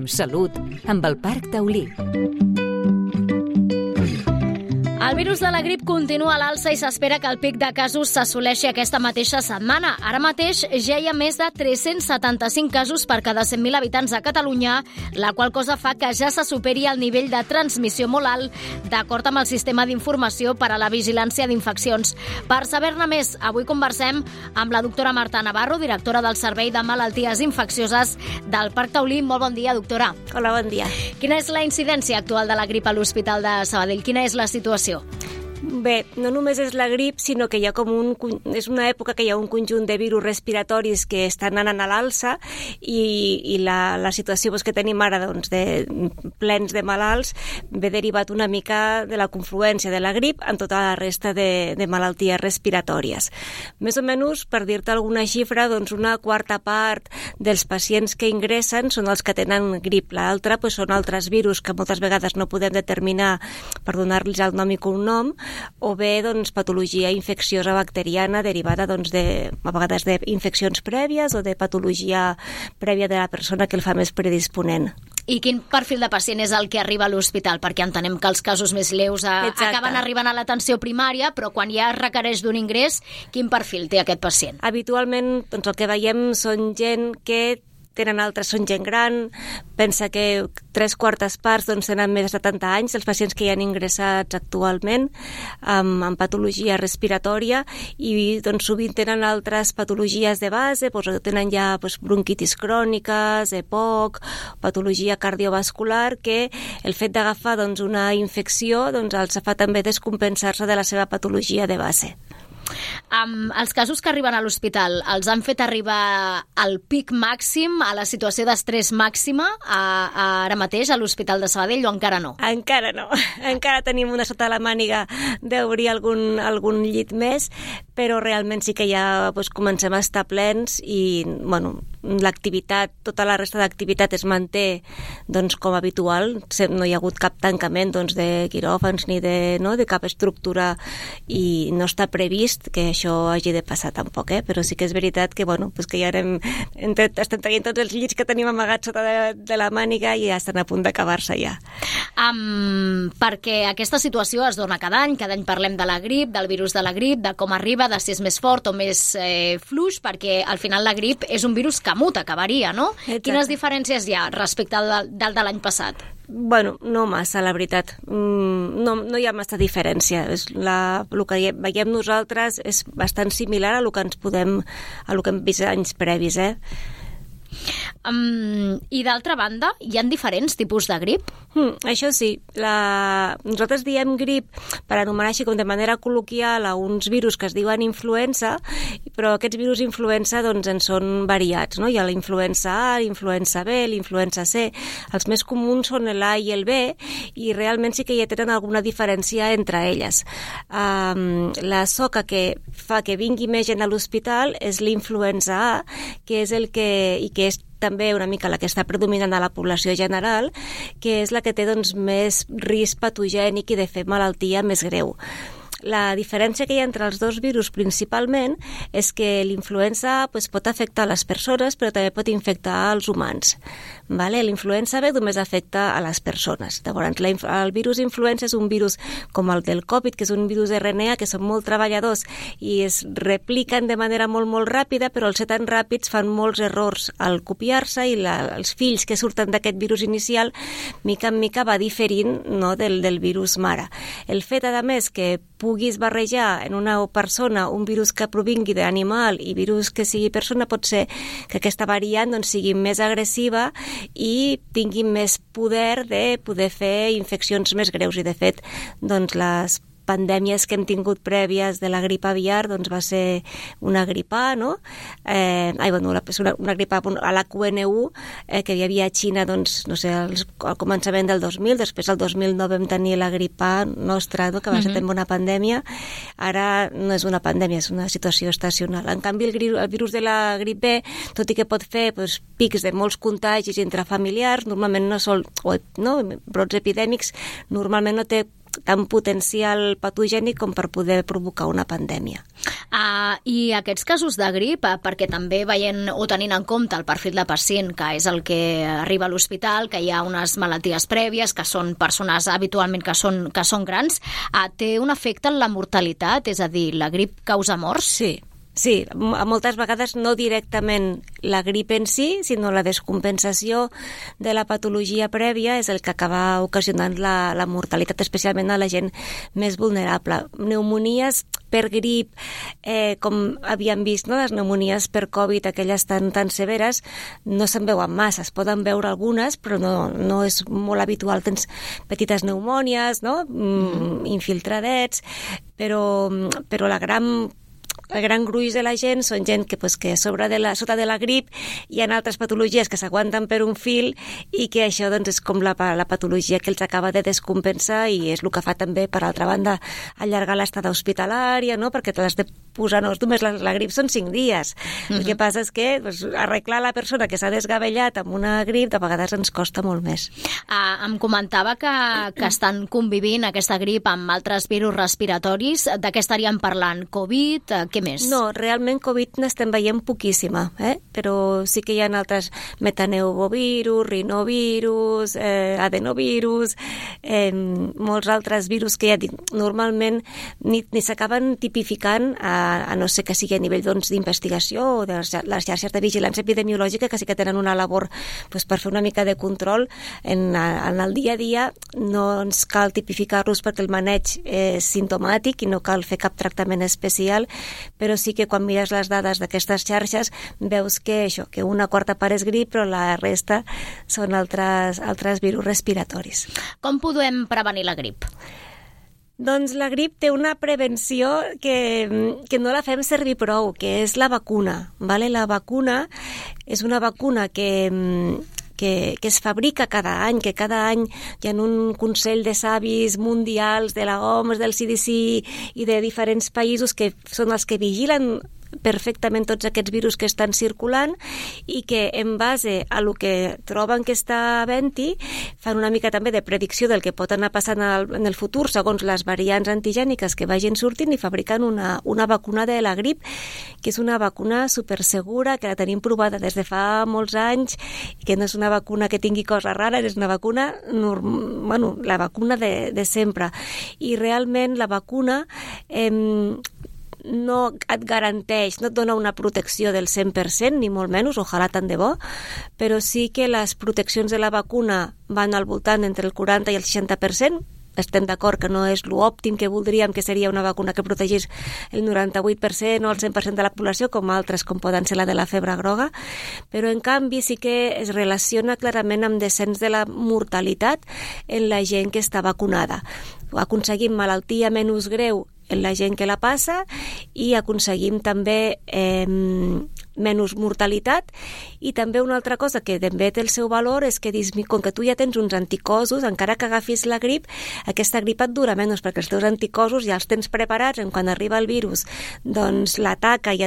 Salut, amb el Parc Taulí. El virus de la grip continua a l'alça i s'espera que el pic de casos s'assoleixi aquesta mateixa setmana. Ara mateix ja hi ha més de 375 casos per cada 100.000 habitants a Catalunya, la qual cosa fa que ja se superi el nivell de transmissió molt alt, d'acord amb el sistema d'informació per a la vigilància d'infeccions. Per saber-ne més, avui conversem amb la doctora Marta Navarro, directora del Servei de Malalties Infeccioses del Parc Taulí. Molt bon dia, doctora. Hola, bon dia. Quina és la incidència actual de la grip a l'Hospital de Sabadell? Quina és la situació? Bé, no només és la grip, sinó que hi ha és una època que hi ha un conjunt de virus respiratoris que estan anant a l'alça i la situació que tenim ara de plens de malalts ve derivat una mica de la confluència de la grip amb tota la resta de malalties respiratòries. Més o menys, per dir-te alguna xifra, una quarta part dels pacients que ingressen són els que tenen grip. L'altra són altres virus que moltes vegades no podem determinar per donar-los el nom i cognom, o bé patologia infecciosa bacteriana derivada a vegades d'infeccions prèvies o de patologia prèvia de la persona que el fa més predisponent. I quin perfil de pacient és el que arriba a l'hospital? Perquè entenem que els casos més lleus acaben arribant a l'atenció primària, però quan ja es requereix d'un ingrés, quin perfil té aquest pacient? Habitualment el que veiem són gent que tenen altres, són gent gran, pensa que 3/4 parts tenen més de 70 anys, els pacients que hi han ingressats actualment amb patologia respiratòria i sovint tenen altres patologies de base, tenen ja bronquitis cròniques, EPOC, patologia cardiovascular, que el fet d'agafar una infecció els fa també descompensar-se de la seva patologia de base. Els casos que arriben a l'hospital els han fet arribar al pic màxim, a la situació d'estrès màxima ara mateix a l'Hospital de Sabadell, o encara no? Encara no. Encara tenim una sota la màniga d'obrir algun llit més, però realment sí que ja comencem a estar plens i l'activitat, tota la resta d'activitat es manté com habitual. No hi ha hagut cap tancament de quiròfans ni de cap estructura i no està previst que això hagi de passar tampoc, però sí que és veritat que, que ja estem traient tots els llits que tenim amagats sota de la màniga i ja estan a punt d'acabar-se ja. Perquè aquesta situació es dona cada any parlem de la grip, del virus de la grip, de com arriba, de si és més fort o més fluix, perquè al final la grip és un virus que muta, que varia, no? Exacte. Quines diferències hi ha respecte al de l'any passat? No massa, la veritat. No hi ha massa diferència. El que veiem nosaltres és bastant similar a el que hem vist anys previs, I d'altra banda, hi ha diferents tipus de grip? Això sí. Nosaltres diem grip per anomenar així com de manera col·loquial a uns virus que es diuen influenza, però aquests virus influenza en són variats, no? Hi ha la influenza A, l'influenza B, l'influenza C. Els més comuns són l'A i el B i realment sí que ja tenen alguna diferència entre elles. La soca que fa que vingui més gent a l'hospital és l'influenza A, que és que és també una mica la que està predominant a la població general, que és la que té més risc patogènic i de fer malaltia més greu. La diferència que hi ha entre els dos virus principalment és que l'influenza pot afectar les persones, però també pot infectar els humans. L'influenza B només afecta a les persones. Llavors, el virus influenza és un virus com el del Covid, que és un virus RNA, que són molt treballadors i es repliquen de manera molt, molt ràpida, però al ser tan ràpids fan molts errors al copiar-se i els fills que surten d'aquest virus inicial, mica en mica va diferint del virus mare. El fet, a més, que puguis barrejar en una persona un virus que provingui d'animal i virus que sigui persona, pot ser que aquesta variant sigui més agressiva i tingui més poder de poder fer infeccions més greus. I de fet, les pandèmies que hem tingut prèvies de la grip aviar va ser una grip A, no? Una grip A a la QN1 que hi havia a Xina al començament del 2000, després al 2009 vam tenir la grip A nostra, que va ser també una pandèmia. Ara no és una pandèmia, és una situació estacional. En canvi, el virus de la grip B, tot i que pot fer pics de molts contagis entre familiars, normalment brots epidèmics, normalment no té tan potencial patogènic com per poder provocar una pandèmia. I aquests casos de grip, perquè també veient o tenint en compte el perfil de pacient, que és el que arriba a l'hospital, que hi ha unes malalties prèvies, que són persones habitualment que són grans, té un efecte en la mortalitat? És a dir, la grip causa morts? Sí, moltes vegades no directament la grip en si, sinó la descompensació de la patologia prèvia és el que acaba ocasionant la mortalitat, especialment a la gent més vulnerable. Pneumonies per grip, com havíem vist, no? Les pneumonies per Covid, aquelles tan severes, no se'n veuen massa, es poden veure algunes, però no és molt habitual. Tens petites pneumònies, no? Infiltradets, però el gran gruix de la gent són gent que sota de la grip hi ha altres patologies que s'aguanten per un fil i que això és com la patologia que els acaba de descompensar i és el que fa també, per altra banda, allargar l'estada hospitalària, no? Perquè te l'has de posar, no, només la grip són 5 dies. El que passa és que arreglar la persona que s'ha desgavellat amb una grip de vegades ens costa molt més. Em comentava que estan convivint aquesta grip amb altres virus respiratoris. De què estaríem parlant? Covid? Què més? No, realment Covid n'estem veient poquíssima, però sí que hi ha altres metaneumovirus, rinovirus, adenovirus, molts altres virus que normalment ni s'acaben tipificant, a no ser que sigui a nivell d'investigació o de les xarxes de vigilància epidemiològica, que sí que tenen una labor per fer una mica de control. En el dia a dia no ens cal tipificar-los perquè el maneig és simptomàtic i no cal fer cap tractament especial, però sí que quan mires les dades d'aquestes xarxes veus que una quarta part és grip, però la resta són altres virus respiratoris. Com podem prevenir la grip? Doncs la grip té una prevenció que no la fem servir prou, que és la vacuna. Vale? La vacuna és una vacuna que es fabrica cada any, que cada any hi ha un Consell de Savis mundials de la OMS, del CDC i de diferents països que són els que vigilen perfectament tots aquests virus que estan circulant i que en base a lo que troben que està havent-hi fan una mica també de predicció del que pot anar passant en el futur segons les variants antigèniques que vagin sortint i fabriquen una vacuna de la grip, que és una vacuna supersegura, que la tenim provada des de fa molts anys, que no és una vacuna que tingui coses rares, és una vacuna la vacuna de sempre. I realment la vacuna no et garanteix, no et dona una protecció del 100%, ni molt menys, ojalà tant de bo, però sí que les proteccions de la vacuna van al voltant entre el 40 i el 60%. Estem d'acord que no és l'òptim que voldríem, que seria una vacuna que protegís el 98% o el 100% de la població, com altres, com poden ser la de la febre groga, però en canvi sí que es relaciona clarament amb descens de la mortalitat en la gent que està vacunada. Aconseguim malaltia menys greu en la gent que la passa i aconseguim també menys mortalitat. I també una altra cosa que també té el seu valor és que com que tu ja tens uns anticossos, encara que agafis la grip, aquesta grip et dura menys perquè els teus anticossos ja els tens preparats en quan arriba el virus, doncs l'ataca i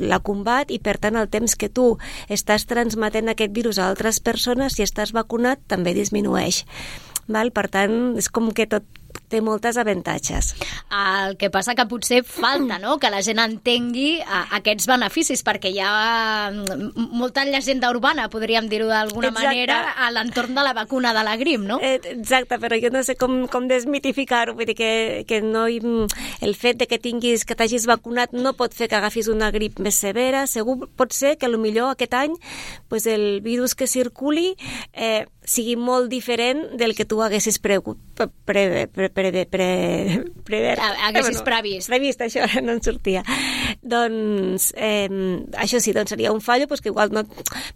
la combat, i per tant el temps que tu estàs transmetent aquest virus a altres persones, si estàs vacunat, també disminueix. Val? Per tant, és com que tot té moltes avantatges. El que passa que potser falta, no?, que la gent entengui aquests beneficis, perquè hi ha molta llegenda urbana, podríem dir-ho d'alguna manera, a l'entorn de la vacuna de la grip, no? Exacte, però jo no sé com desmitificar-ho, vull dir que no, el fet de que t'hagis vacunat no pot fer que agafis una grip més severa. Segur pot ser que potser aquest any el virus que circuli sigui molt diferent del que tu haguessis haguessis previst. Previst, això no en sortia. Doncs això sí, doncs seria un fallo, que igual no,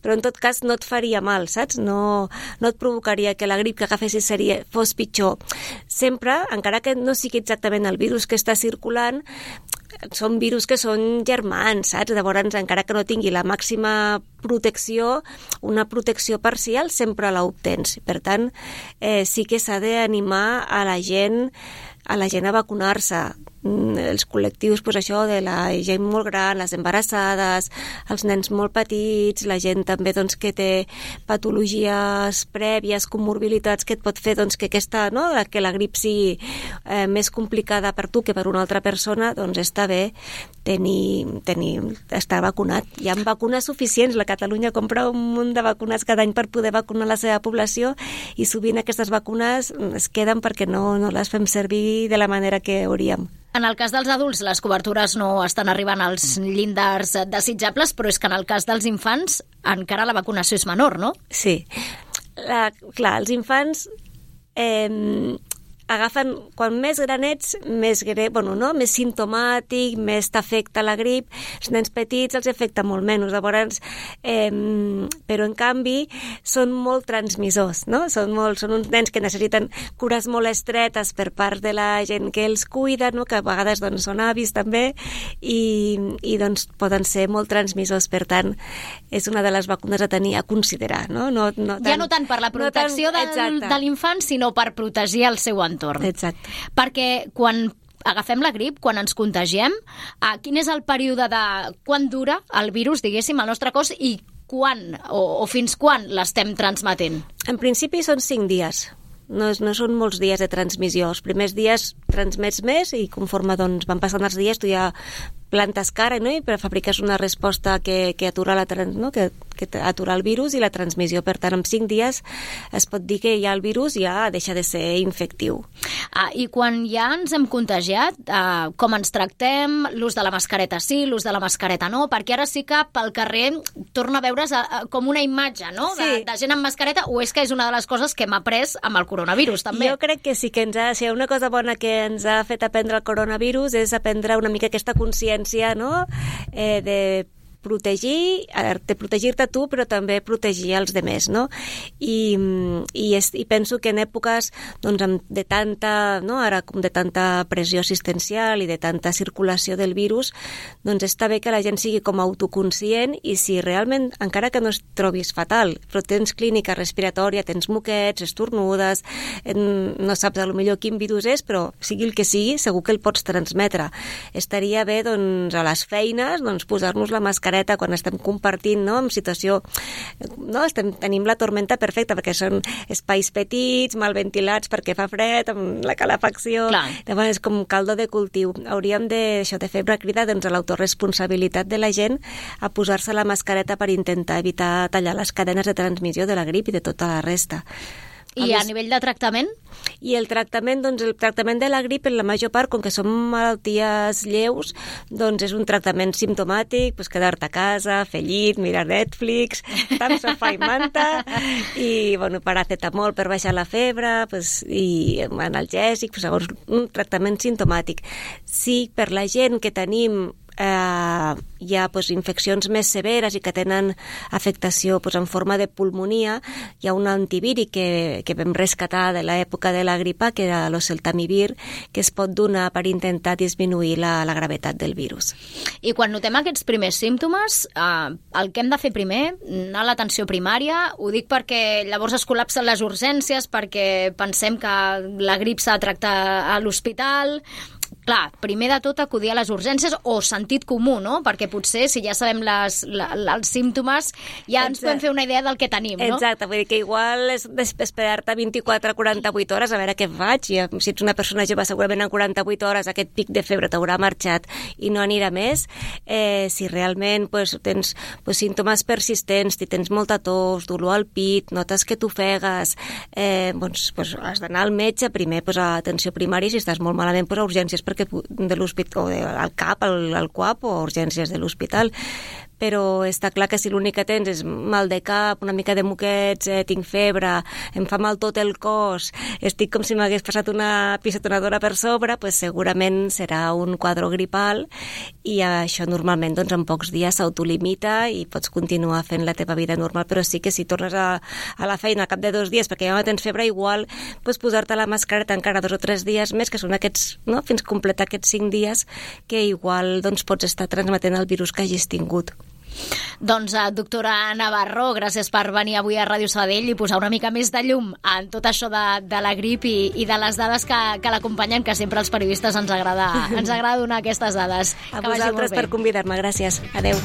però en tot cas no et faria mal, saps? No et provocaria que la grip que agafessis fos pitjor. Sempre, encara que no sigui exactament el virus que està circulant, són virus que són germans, saps? Llavors, encara que no tingui la màxima protecció, una protecció parcial sempre l'obtens. Per tant, sí que s'ha d'animar a la gent a vacunar-se. els col·lectius, doncs això, de la gent molt gran, les embarassades, els nens molt petits, la gent també doncs, que té patologies prèvies, comorbilitats, que et pot fer doncs, que que la grip sigui més complicada per tu que per una altra persona, doncs està bé estar vacunat. Hi ha vacunes suficients, la Catalunya compra un munt de vacunes cada any per poder vacunar la seva població i sovint aquestes vacunes es queden perquè no les fem servir de la manera que hauríem. En el cas dels adults, les cobertures no estan arribant als llindars desitjables, però és que en el cas dels infants encara la vacunació és menor, no? Sí. Clar, els infants agafen, quan més granets, més simptomàtic, més t'afecta la grip. Els nens petits els afecta molt menys. Llavors, però en canvi són molt transmissors, no? Són uns nens que necessiten cures molt estretes per part de la gent que els cuida, no? Que a vegades doncs, són avis també i doncs, poden ser molt transmissors. Per tant, és una de les vacunes a considerar. No tant per la protecció de l'infant, sinó per protegir el seu entorn. Exacte. Perquè quan agafem la grip, quan ens contagiem, quin és el període de quan dura el virus, diguéssim, al nostre cos i quan o fins quan l'estem transmetent? En principi són 5 dies. No són molts dies de transmissió. Els primers dies transmets més i conforme doncs, van passant els dies tu ja plantes cara, no? I fabriques una resposta que atura que atura el virus i la transmissió. Per tant, en 5 dies es pot dir que ja el virus ja deixa de ser infectiu. I quan ja ens hem contagiat, com ens tractem? L'ús de la mascareta sí, l'ús de la mascareta no? Perquè ara sí que pel carrer torna a veure's com una imatge, no? Sí. De gent amb mascareta, o és que és una de les coses que hem après amb el coronavirus, també? Jo crec que sí, que si hi ha una cosa bona que ens ha fet aprendre el coronavirus és aprendre una mica aquesta consciència, no? De protegir-te tu, però també protegir els demés, no? I penso que en èpoques doncs, de tanta pressió assistencial i de tanta circulació del virus, doncs està bé que la gent sigui com autoconscient i si realment, encara que no es trobis fatal, però tens clínica respiratòria, tens moquets, estornudes, no saps millor quin virus és, però sigui el que sigui, segur que el pots transmetre. Estaria bé doncs, a les feines doncs, posar-nos la mascareta quan estem compartint, no? En situació, no? Tenim la tormenta perfecta perquè són espais petits, mal ventilats perquè fa fred, amb la calefacció. Llavors és com caldo de cultiu. Hauríem de fer una crida doncs, a l'autoresponsabilitat de la gent a posar-se la mascareta per intentar evitar tallar les cadenes de transmissió de la grip i de tota la resta. I a nivell de tractament? I el tractament de la grip, en la major part, com que són malalties lleus, doncs és un tractament simptomàtic, doncs quedar-te a casa, fer llit, mirar Netflix, estar amb sofà i manta, i paracetamol per baixar la febre, i analgèsic, llavors un tractament simptomàtic. Sí, per la gent que tenim hi ha infeccions més severes i que tenen afectació en forma de pulmonia, hi ha un antivíric que vam rescatar de l'època de la gripa, que era l'oseltamivir, que es pot donar per intentar disminuir la gravetat del virus. I quan notem aquests primers símptomes, el que hem de fer primer, anar a l'atenció primària, ho dic perquè llavors es col·lapsen les urgències, perquè pensem que la grip s'ha de tractar a l'hospital. Clar, primer de tot acudir a les urgències o sentit comú, no? Perquè potser si ja sabem els símptomes ja ens podem fer una idea del que tenim, no? Exacte, vull dir que igual és esperar-te 24 a 48 hores a veure què faig. I si ets una persona jove segurament en 48 hores aquest pic de febre t'haurà marxat i no anirà més. Si realment tens símptomes persistents, si tens molta tos, dolor al pit, notes que t'ofegues, has d'anar al metge primer a atenció primària, si estàs molt malament a urgències de l'hospital, al CAP, al CUAP o urgències de l'hospital. Però està clar que si l'únic que tens és mal de cap, una mica de moquets, tinc febre, em fa mal tot el cos, estic com si m'hagués passat una pisotonadora per sobre, segurament serà un quadre gripal i això normalment en pocs dies s'autolimita i pots continuar fent la teva vida normal, però sí que si tornes a la feina al cap de 2 dies perquè ja no tens febre, igual pots posar-te la mascareta encara 2 o 3 dies més, que són aquests, no? Fins completar aquests 5 dies que igual pots estar transmetent el virus que hagis tingut. Doncs, doctora Navarro, gràcies per venir avui a Ràdio Sabadell i posar una mica més de llum en tot això de la grip i de les dades que l'acompanyen, que sempre als periodistes ens agrada donar aquestes dades. A vosaltres per convidar-me, gràcies. Adeu.